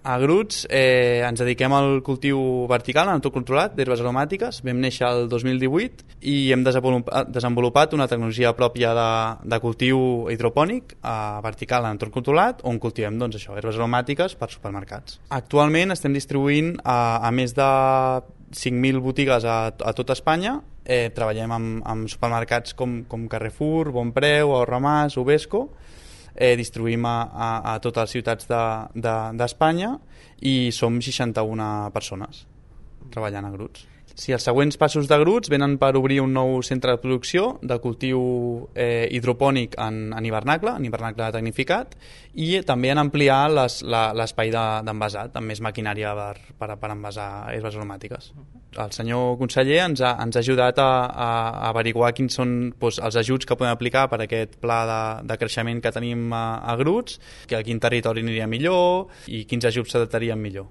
A Gruts ens dediquem al cultiu vertical en entorn controlat d'herbes aromàtiques. Vam néixer el 2018 i hem desenvolupat una tecnologia pròpia de cultiu hidropònic vertical en entorn controlat, on cultivem herbes aromàtiques per supermercats. Actualment estem distribuint a més de 5.000 botigues a tot Espanya. Treballem amb supermercats com Carrefour, Bonpreu, Ahorro Más, Ubesco. Distribuïm a totes les ciutats d'Espanya i som 61 persones treballant a Gruts. Si els següents passos de Gruts venen per obrir un nou centre de producció de cultiu hidropònic en hivernacle tecnificat, i també en ampliar l'espai d'envasat amb més maquinària per envasar herbes aromàtiques. El senyor conseller ens ha ajudat a averiguar quins són els ajuts que podem aplicar per aquest pla de creixement que tenim a Gruts, que a quin territori aniria millor i quins ajuts s'adaptarien millor.